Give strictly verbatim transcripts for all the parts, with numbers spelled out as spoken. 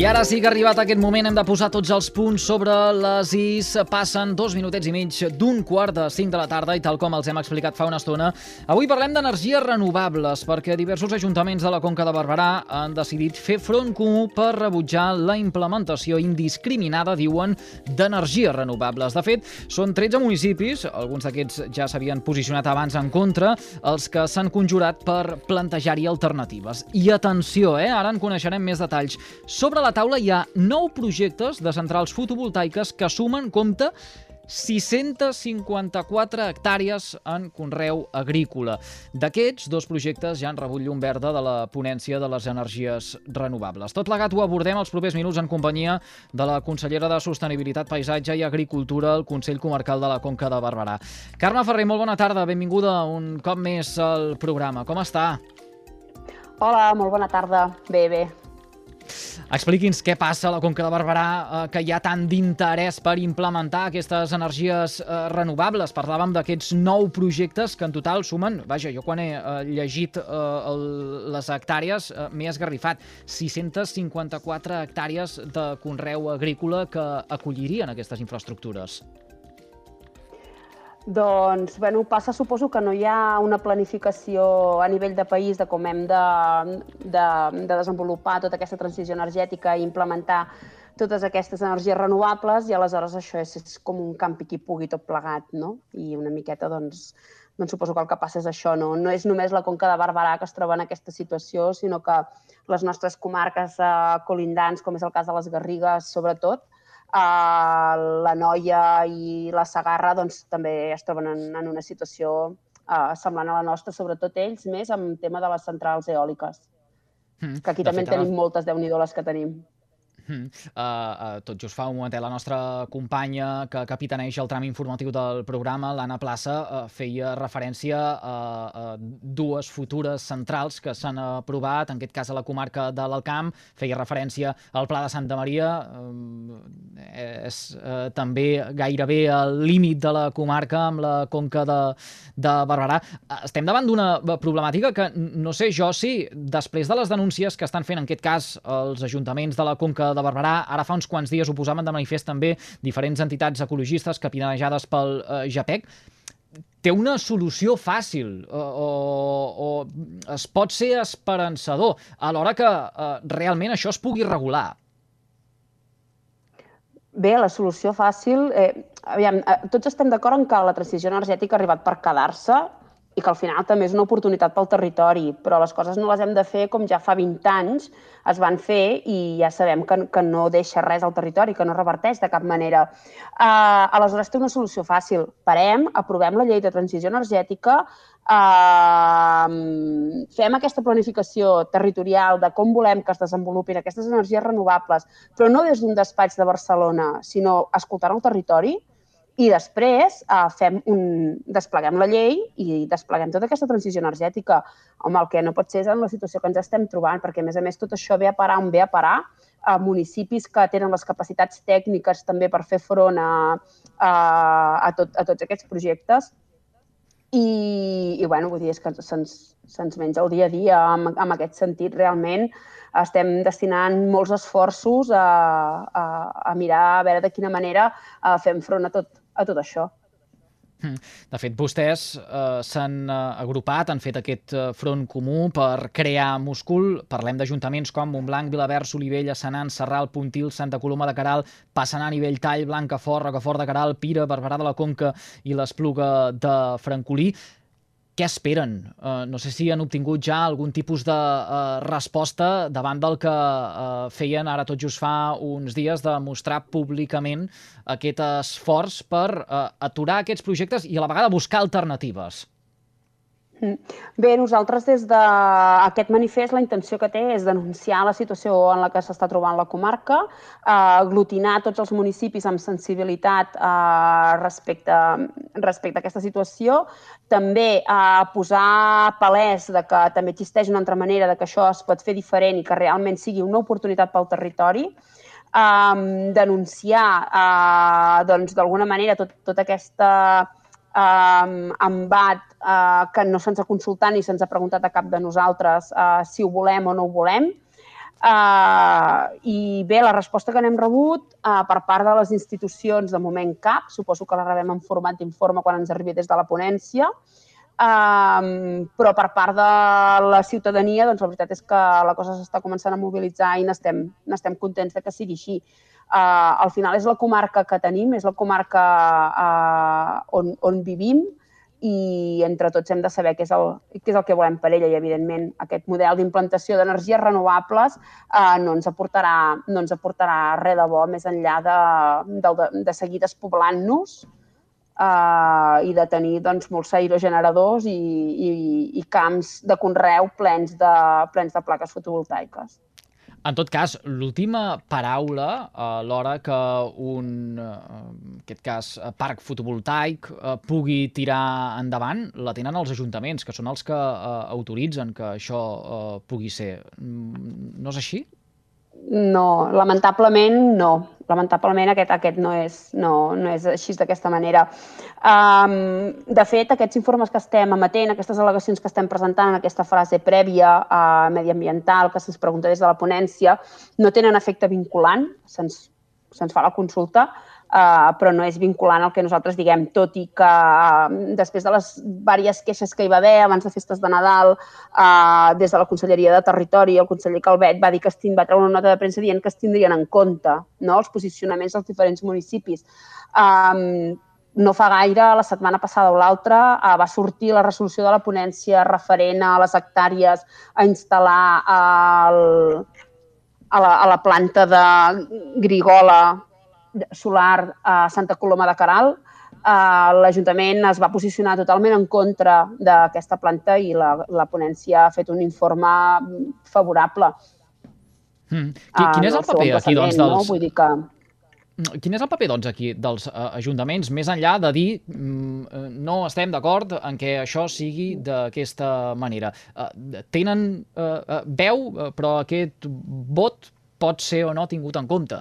I ara sí que ha arribat aquest moment, hem de posar tots els punts sobre les is. Passen dos minutets i mig d'un quart de cinc de la tarda i tal com els hem explicat fa una estona, avui parlem d'energies renovables perquè diversos ajuntaments de la Conca de Barberà han decidit fer front comú per rebutjar la implementació indiscriminada, diuen, d'energies renovables. De fet, són tretze municipis, alguns d'aquests ja s'havien posicionat abans en contra, els que s'han conjurat per plantejar-hi alternatives. I atenció, eh? Ara en coneixerem més detalls. Sobre la taula hi ha nou projectes de centrals fotovoltaiques que sumen, compte, sis-centes cinquanta-quatre hectàrees en conreu agrícola. D'aquests, dos projectes ja han rebut llum verda de la ponència de les energies renovables. Tot plegat ho abordem els propers minuts en companyia de la consellera de Sostenibilitat, Paisatge i Agricultura al Consell Comarcal de la Conca de Barberà. Carme Ferrer, molt bona tarda, benvinguda un cop més al programa. Com està? Hola, molt bona tarda. Bé, bé. Expliqui'ns què passa a la Conca de Barberà, eh, que hi ha tant d'interès per implementar aquestes energies eh, renovables. Parlàvem d'aquests nou projectes que en total sumen, vaja, jo quan he eh, llegit eh, el, les hectàrees eh, m'he esgarrifat, sis-centes cinquanta-quatre hectàrees de conreu agrícola que acollirien aquestes infraestructures. Doncs, bueno, passa, suposo que no hi ha una planificació a nivell de país de com hem de, de, de desenvolupar tota aquesta transició energètica i implementar totes aquestes energies renovables i aleshores això és, és com un campi qui pugui tot plegat, no? I una miqueta, doncs, doncs suposo que el que passa és això, no? No és només la Conca de Barberà que es troba en aquesta situació, sinó que les nostres comarques eh, colindants, com és el cas de les Garrigues, sobretot, Uh, la Noia i la Segarra doncs, també es troben en, en una situació uh, semblant a la nostra, sobretot ells, més amb el tema de les centrals eòliques, mm, que aquí també en tenim moltes, Déu-n'hi-do les que tenim. Uh, uh, tot just fa un momentet la nostra companya que capitaneix el tram informatiu del programa, l'Anna Plaça, uh, feia referència a, a dues futures centrals que s'han aprovat, en aquest cas a la comarca de l'Alt Camp, feia referència al Pla de Santa Maria, uh, és uh, també gairebé al límit de la comarca amb la Conca de, de Barberà. Uh, estem davant d'una problemàtica que no sé jo si, després de les denúncies que estan fent en aquest cas els ajuntaments de la Conca de Barberà, ara fa uns quants dies ho posaven de manifest també diferents entitats ecologistes capitanejades pel eh, JAPEC, té una solució fàcil o, o, o es pot ser esperançador a l'hora que eh, realment això es pugui regular. Bé, la solució fàcil... Eh, aviam, tots estem d'acord en que la transició energètica ha arribat per quedar-se i que al final també és una oportunitat pel territori, però les coses no les hem de fer com ja fa vint anys es van fer i ja sabem que, que no deixa res al territori, que no reverteix de cap manera. Uh, aleshores té una solució fàcil. Parem, aprovem la llei de transició energètica, uh, fem aquesta planificació territorial de com volem que es desenvolupin aquestes energies renovables, però no des d'un despatx de Barcelona, sinó escoltant el territori, i després eh, fem un, despleguem la llei i despleguem tota aquesta transició energètica. Home, el que no pot ser és en la situació que ens estem trobant, perquè a més a més tot això ve a parar on ve a parar a municipis que tenen les capacitats tècniques també per fer front a, a, a, tot, a tots aquests projectes. I, i bueno, vull dir, és que se'ns se'ns menja el dia a dia en, en aquest sentit. Realment estem destinant molts esforços a, a, a mirar a veure de quina manera a fem front a tot, a tot això. De fet, vostès eh, s'han eh, agrupat, han fet aquest eh, front comú per crear múscul. Parlem d'ajuntaments com Montblanc, Vilaverd, Solivella, Senan, Sarral, Puntil, Santa Coloma de Queralt, Passanant, Nivelltall, Blancafort, Rocafort de Queralt, Pira, Barberà de la Conca i l'Espluga de Francolí. Què esperen? Uh, no sé si han obtingut ja algun tipus de uh, resposta davant del que uh, feien ara tot just fa uns dies de mostrar públicament aquest esforç per uh, aturar aquests projectes i a la vegada buscar alternatives. Bé, nosaltres des d'aquest manifest la intenció que té és denunciar la situació en la que s'està trobant la comarca, eh, aglutinar tots els municipis amb sensibilitat eh, respecte, respecte a aquesta situació, també eh, posar palès de que també existeix una altra manera de que això es pot fer diferent i que realment sigui una oportunitat pel territori, eh, denunciar eh, doncs, d'alguna manera tot, tota aquesta Um, embat uh, que no se'ns ha consultat ni se'ns ha preguntat a cap de nosaltres uh, si ho volem o no ho volem. Uh, I bé, la resposta que n'hem rebut uh, per part de les institucions, de moment cap, suposo que la rebem en format d'informe quan ens arribi des de la ponència, uh, però per part de la ciutadania, doncs la veritat és que la cosa s'està començant a mobilitzar i n'estem n'estem contents de que sigui així. Uh, al final és la comarca que tenim, és la comarca uh, on, on vivim, i entre tots hem de saber què és el, què és el que volem per ella i, evidentment, aquest model d'implantació d'energies renovables eh, no ens aportarà, no ens aportarà res de bo més enllà de, de, de seguir despoblant-nos eh, i de tenir doncs, molts aerogeneradors i, i, i camps de conreu plens de, plens de plaques fotovoltaiques. En tot cas, l'última paraula a l'hora que un, en aquest cas, parc fotovoltaic pugui tirar endavant, la tenen els ajuntaments, que són els que autoritzen que això pugui ser. No és així? No, lamentablement no. Lamentablement aquest, aquest no, és, no, no és així d'aquesta manera. Um, de fet, aquests informes que estem emetent, aquestes al·legacions que estem presentant en aquesta fase prèvia uh, mediambiental que se'ns pregunta des de la ponència, no tenen efecte vinculant, se'ns se'ns fa la consulta, uh, però no és vinculant el que nosaltres diguem, tot i que uh, després de les diverses queixes que hi va haver abans de festes de Nadal, uh, des de la Conselleria de Territori, el conseller Calvet va dir que es va treure una nota de premsa dient que es tindrien en compte, no?, els posicionaments dels diferents municipis. Um, no fa gaire, la setmana passada o l'altra, uh, va sortir la resolució de la ponència referent a les hectàrees a instal·lar el... A la, a la planta de Grigola solar a Santa Coloma de Queralt. Uh, L'Ajuntament es va posicionar totalment en contra d'aquesta planta i la, la ponència ha fet un informe favorable. Mm. Quin és el paper aquí, doncs, dels... No? Vull dir que... Quin és el paper, doncs, aquí dels uh, ajuntaments, més enllà de dir mm, no estem d'acord en què això sigui d'aquesta manera? Uh, tenen uh, veu, però aquest vot pot ser o no tingut en compte?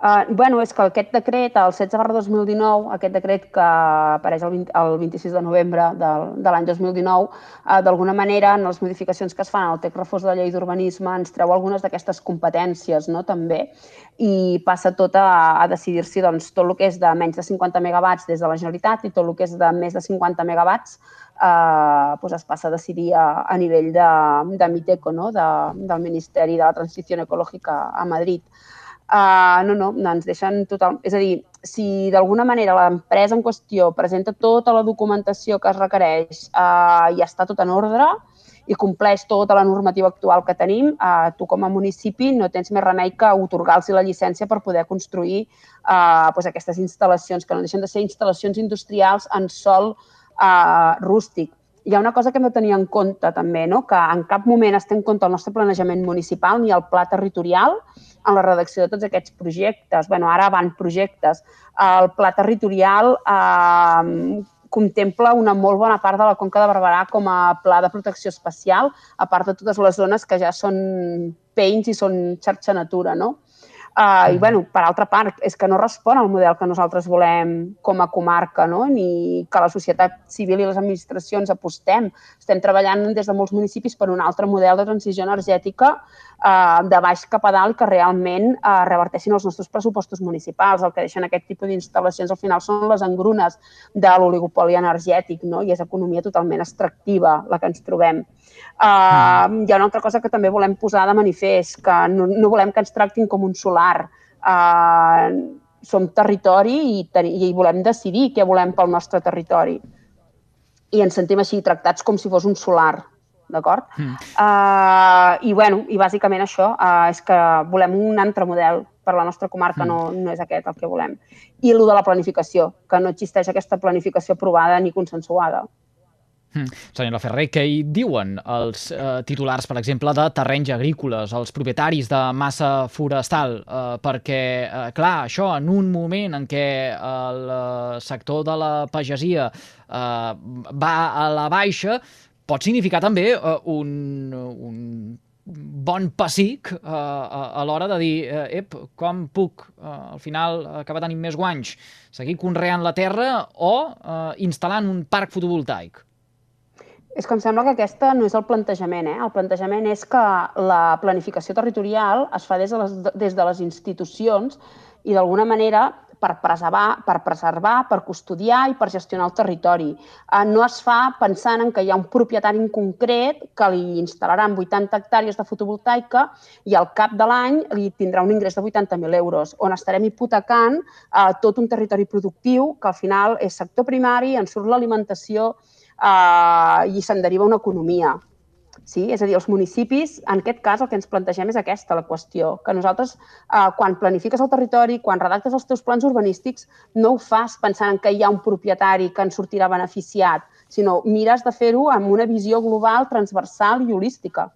Uh, bueno, és que aquest decret, el setze barra dos mil dinou, aquest decret que apareix el, vint, el vint-i-sis de novembre de, de l'any dos mil dinou, uh, d'alguna manera, en les modificacions que es fan al text refós de la llei d'urbanisme, ens treu algunes d'aquestes competències, no?, també, i passa tot a, a decidir-s'hi doncs, tot el que és de menys de cinquanta megawatts des de la Generalitat i tot el que és de més de cinquanta megawatts Uh, pues es passa a decidir a, a nivell de, de Miteco, no?, de, del Ministeri de la Transició Ecològica a Madrid. Uh, no, no, ens deixen total... És a dir, si d'alguna manera l'empresa en qüestió presenta tota la documentació que es requereix uh, i està tot en ordre i compleix tota la normativa actual que tenim, uh, tu com a municipi no tens més remei que otorgar-los la llicència per poder construir uh, pues aquestes instal·lacions, que no deixen de ser instal·lacions industrials en sòl Uh, rústic. Hi ha una cosa que hem de tenir en compte també, no?, que en cap moment es té en compte el nostre planejament municipal ni el pla territorial en la redacció de tots aquests projectes. Bueno, ara van projectes. El pla territorial uh, contempla una molt bona part de la Conca de Barberà com a pla de protecció especial, a part de totes les zones que ja són peins i són xarxa natura, no? Uh, I, bueno, per altra part, és que no respon al model que nosaltres volem com a comarca, no?, ni que la societat civil i les administracions apostem. Estem treballant des de molts municipis per un altre model de transició energètica uh, de baix cap a dalt que realment uh, reverteixin els nostres pressupostos municipals. El que deixen aquest tipus d'instal·lacions al final són les engrunes de l'oligopoli energètic, no?, i és economia totalment extractiva la que ens trobem. Uh, hi ha una altra cosa que també volem posar de manifest, que no, no volem que ens tractin com un solar. Uh, som territori i, i volem decidir què volem pel nostre territori. I ens sentim així tractats com si fos un solar, d'acord? Mm. Uh, I, bueno, i bàsicament això, uh, és que volem un altre model per la nostra comarca, mm. no, no és aquest el que volem. I el de la planificació, que no existeix aquesta planificació aprovada ni consensuada. Mm. Senyora Ferrer, què hi diuen els eh, titulars, per exemple, de terrenys agrícoles, els propietaris de massa forestal? Eh, perquè, eh, clar, això en un moment en què el eh, sector de la pagesia eh, va a la baixa, pot significar també eh, un, un bon pessic eh, a, a l'hora de dir eh, ep, com puc eh, al final acabar tenint més guanys? Seguir conreant la terra o eh, instal·lant un parc fotovoltaic? És que em sembla que aquesta no és el plantejament. Eh? El plantejament és que la planificació territorial es fa des de les, des de les institucions i d'alguna manera per preservar, per preservar, per custodiar i per gestionar el territori. Eh, no es fa pensant en que hi ha un propietari en concret que li instal·laran vuitanta hectàrees de fotovoltaica i al cap de l'any li tindrà un ingrés de vuitanta mil euros, on estarem hipotecant eh, tot un territori productiu que al final és sector primari, en surt l'alimentació, Uh, i se'n deriva una economia. Sí? És a dir, els municipis, en aquest cas, el que ens plantegem és aquesta, la qüestió, que nosaltres, uh, quan planifiques el territori, quan redactes els teus plans urbanístics, no ho fas pensant que hi ha un propietari que en sortirà beneficiat, sinó mires de fer-ho amb una visió global, transversal i holística.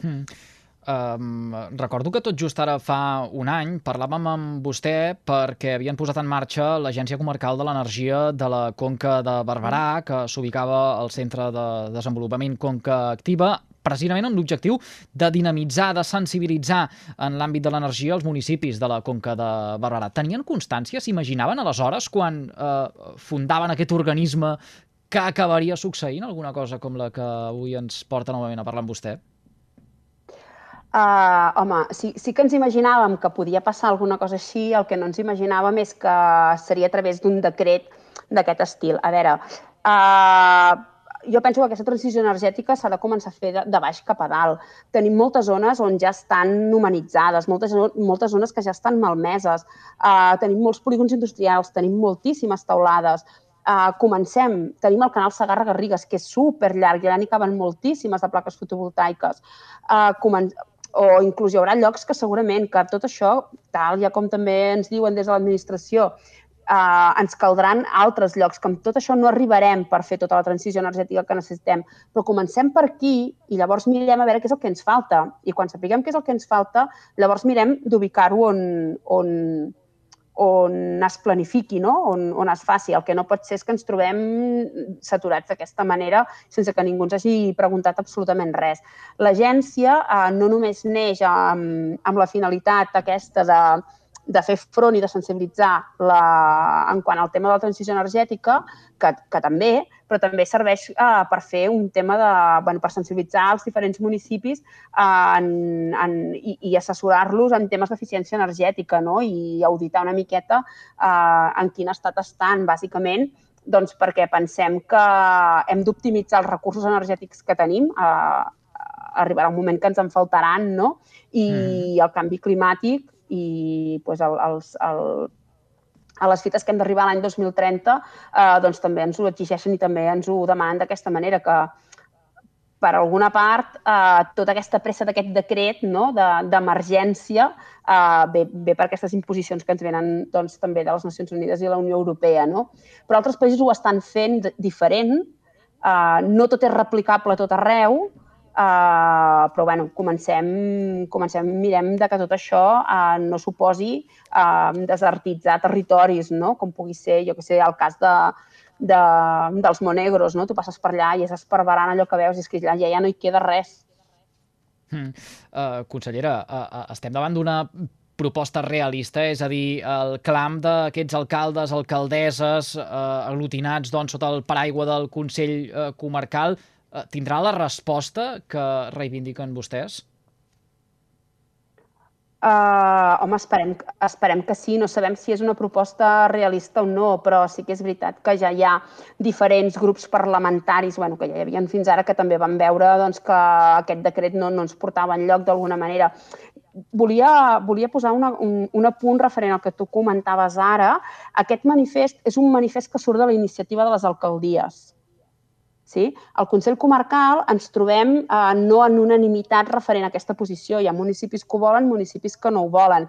Mm. Um, recordo que tot just ara fa un any parlàvem amb vostè perquè havien posat en marxa l'Agència Comarcal de l'Energia de la Conca de Barberà, que s'ubicava al Centre de Desenvolupament Conca Activa, precisament amb l'objectiu de dinamitzar, de sensibilitzar en l'àmbit de l'energia els municipis de la Conca de Barberà. Tenien constància, s'imaginaven aleshores, quan eh, fundaven aquest organisme, que acabaria succeint alguna cosa com la que avui ens porta novament a parlar amb vostè? Uh, home, sí, sí que ens imaginàvem que podia passar alguna cosa així, el que no ens imaginàvem és que seria a través d'un decret d'aquest estil. A veure, uh, jo penso que aquesta transició energètica s'ha de començar a fer de, de baix cap a dalt. Tenim moltes zones on ja estan humanitzades, moltes, moltes zones que ja estan malmeses, uh, tenim molts polígons industrials, tenim moltíssimes teulades. Uh, comencem, tenim el canal Segarra-Garrigues, que és superllarg, i allà n'hi caben moltíssimes de plaques fotovoltaiques. Uh, comen o inclús hi haurà llocs que segurament que tot això, tal ja com també ens diuen des de l'administració, eh, ens caldran altres llocs, que amb tot això no arribarem per fer tota la transició energètica que necessitem, però comencem per aquí i llavors mirem a veure què és el que ens falta. I quan sapiguem què és el que ens falta, llavors mirem d'ubicar-ho on, on, on es planifiqui, no? on, on es faci. El que no pot ser és que ens trobem saturats d'aquesta manera sense que ningú ens hagi preguntat absolutament res. L'agència eh, no només neix amb, amb la finalitat aquesta de, de fer front i de sensibilitzar la, en quant al tema de la transició energètica, que, que també, però també serveix eh, per fer un tema de, bueno, per sensibilitzar els diferents municipis eh, en, en, i, i assessorar-los en temes d'eficiència energètica, no? I auditar una miqueta eh, en quin estat estan, bàsicament, doncs perquè pensem que hem d'optimitzar els recursos energètics que tenim, eh, arribarà un moment que ens en faltaran, no? I mm. el canvi climàtic i pues, el, els, el, a les fites que hem d'arribar l'any dos mil trenta eh, doncs també ens ho exigeixen i també ens ho demanen d'aquesta manera, que per alguna part eh, tota aquesta pressa d'aquest decret, no, d'emergència de, eh, ve, ve per aquestes imposicions que ens venen doncs, també de les Nacions Unides i la Unió Europea. No? Però altres països ho estan fent diferent, eh, no tot és replicable a tot arreu, Uh, però bueno, comencem, comencem, mirem de que tot això uh, no suposi uh, desertitzar territoris, no? Com pugui ser, jo que sé, el cas de, de, dels Monegros, no? Tu passes per allà i és esparverant allò que veus i és que allà ja no hi queda res. Mm. Uh, consellera, uh, estem davant d'una proposta realista, és a dir, el clam d'aquests alcaldes, alcaldesses, uh, aglutinats doncs, sota el paraigua del Consell uh, Comarcal, tindrà la resposta que reivindiquen vostès? Uh, home, esperem, esperem que sí. No sabem si és una proposta realista o no, però sí que és veritat que ja hi ha diferents grups parlamentaris, bueno, que ja hi havia fins ara, que també van veure doncs, que aquest decret no, no ens portava enlloc d'alguna manera. Volia, volia posar una, un, un apunt referent al que tu comentaves ara. Aquest manifest és un manifest que surt de la iniciativa de les alcaldies. Sí? Al Consell Comarcal ens trobem eh, no en unanimitat referent a aquesta posició. Hi ha municipis que ho volen, municipis que no ho volen.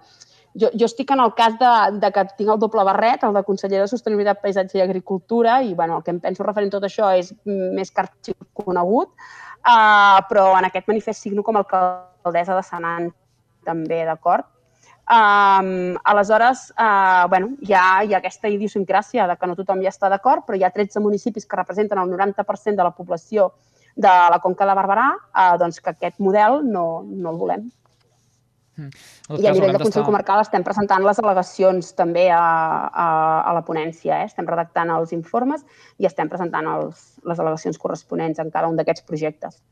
Jo, jo estic en el cas de, de que tinc el doble barret, el de conseller de Sostenibilitat, Paisatge i Agricultura, i bueno, el que em penso referent a tot això és més que arxiconegut, eh, però en aquest manifest signo com a alcaldessa de Senan també, d'acord? Um, aleshores, uh, bueno, hi ha, hi ha aquesta idiosincràsia de que no tothom hi està d'acord, però hi ha tretze municipis que representen el noranta per cent de la població de la Conca de Barberà, uh, doncs que aquest model no, no el volem. Mm. I a nivell de Consell Comarcal estem presentant les al·legacions també a, a, a la ponència. Eh? Estem redactant els informes i estem presentant els, les al·legacions corresponents en cada un d'aquests projectes.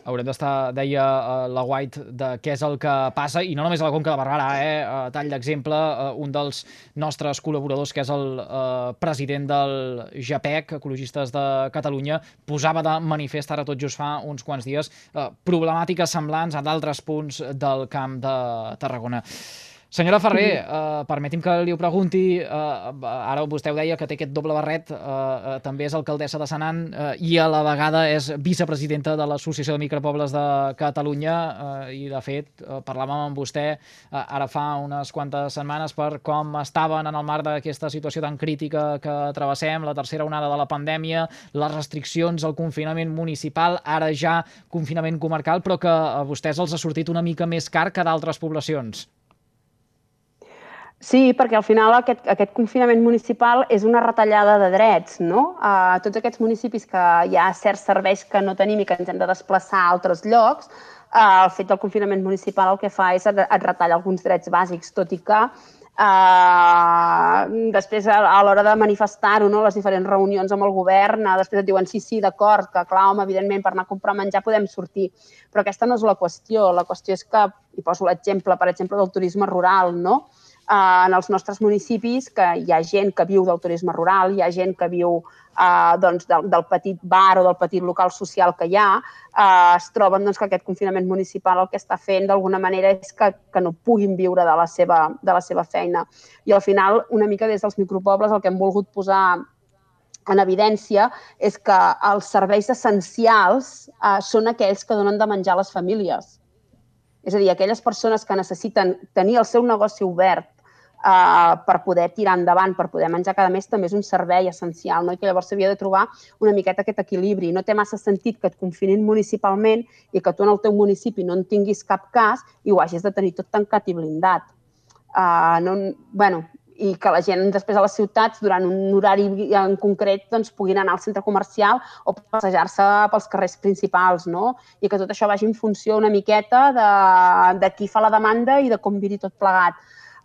Haurem d'estar, deia la White, de què és el que passa, i no només a la Conca de Barberà, eh? A tall d'exemple, un dels nostres col·laboradors, que és el eh, president del JAPEC, Ecologistes de Catalunya, posava de manifest ara tot just fa uns quants dies eh, problemàtiques semblants a d'altres punts del Camp de Tarragona. Senyora Ferrer, eh, permeti'm que li ho pregunti, eh, ara vostè ho deia, que té aquest doble barret, eh, eh, també és alcaldessa de Senan eh, i a la vegada és vicepresidenta de l'Associació de Micropobles de Catalunya eh, i, de fet, eh, parlàvem amb vostè eh, ara fa unes quantes setmanes per com estaven en el marc d'aquesta situació tan crítica que travessem, la tercera onada de la pandèmia, les restriccions, el confinament municipal, ara ja confinament comarcal, però que a vostès els ha sortit una mica més car que d'altres poblacions. Sí, perquè al final aquest, aquest confinament municipal és una retallada de drets, no? A tots aquests municipis que hi ha certs serveis que no tenim i que ens hem de desplaçar a altres llocs, el fet del confinament municipal el que fa és et retalla alguns drets bàsics, tot i que eh, després a l'hora de manifestar-ho, no? Les diferents reunions amb el govern, després et diuen sí, sí, d'acord, que clar, home, evidentment per anar a comprar menjar podem sortir, però aquesta no és la qüestió. La qüestió és que, i poso l'exemple, per exemple, del turisme rural, no? En els nostres municipis, que hi ha gent que viu del turisme rural, hi ha gent que viu eh, doncs, del, del petit bar o del petit local social que hi ha, eh, es troben doncs, que aquest confinament municipal el que està fent d'alguna manera és que, que no puguin viure de la, seva, de la seva feina. I al final, una mica des dels micropobles, el que hem volgut posar en evidència és que els serveis essencials eh, són aquells que donen de menjar a les famílies. És a dir, aquelles persones que necessiten tenir el seu negoci obert eh, per poder tirar endavant, per poder menjar cada mes, també és un servei essencial, no? I que llavors s'havia de trobar una miqueta aquest equilibri. No té massa sentit que et confinin municipalment i que tu en el teu municipi no en tinguis cap cas i ho hagis de tenir tot tancat i blindat. Uh, no, bueno, i que la gent després a les ciutats, durant un horari en concret, doncs, puguin anar al centre comercial o passejar-se pels carrers principals, no? I que tot això vagi en funció una miqueta de, de qui fa la demanda i de com viri tot plegat.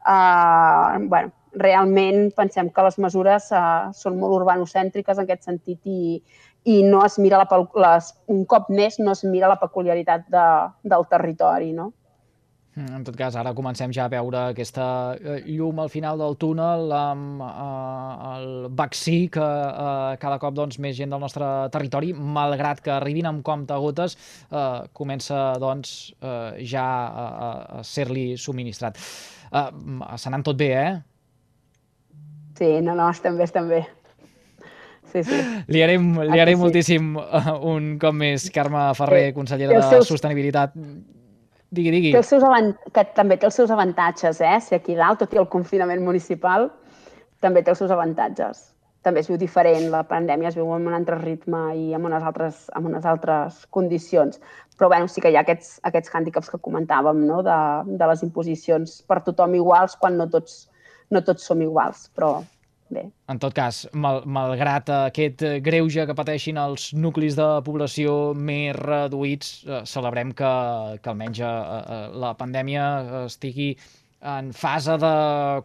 Uh, bueno, realment pensem que les mesures uh, són molt urbanocèntriques en aquest sentit i, i no es mira la, les, un cop més no es mira la peculiaritat de, del territori, no? En tot cas, ara comencem ja a veure aquesta llum al final del túnel amb eh, el vaccí que eh, cada cop doncs, més gent del nostre territori, malgrat que arribin amb comptagotes, eh, comença doncs, eh, ja a, a ser-li subministrat. Eh, se n'han tot bé, eh? Sí, no, no, estem bé, estem bé. Sí, sí. Li agraïm, li agraïm moltíssim uh, un cop més, Carme Ferrer, consellera de Sostenibilitat. Digui, digui. Té els seus avant... que també té els seus avantatges, eh? Si aquí dalt, tot i el confinament municipal, també té els seus avantatges. També es viu diferent, la pandèmia es viu amb un altre ritme i amb unes altres, amb unes altres condicions. Però bueno, sí que hi ha aquests, aquests hàndicaps que comentàvem, no? de, de les imposicions per tothom iguals quan no tots, no tots som iguals, però bé. En tot cas, mal, malgrat aquest greuge que pateixin els nuclis de població més reduïts, eh, celebrem que, que almenys eh, la pandèmia estigui en fase de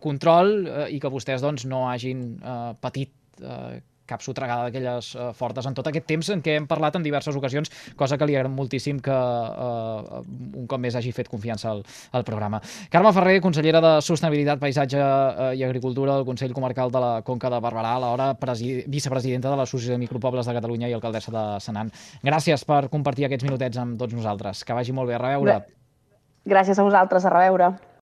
control eh, i que vostès doncs, no hagin eh, patit eh, cap sotregada d'aquelles eh, fortes en tot aquest temps en què hem parlat en diverses ocasions, cosa que li agrada moltíssim que eh, un cop més hagi fet confiança al, al programa. Carme Ferrer, consellera de Sostenibilitat, Paisatge eh, i Agricultura del Consell Comarcal de la Conca de Barberà, alhora vicepresidenta de l'Associació de Micropobles de Catalunya i alcaldessa de Senan. Gràcies per compartir aquests minutets amb tots nosaltres. Que vagi molt bé. A reveure. Gràcies a vosaltres. A reveure.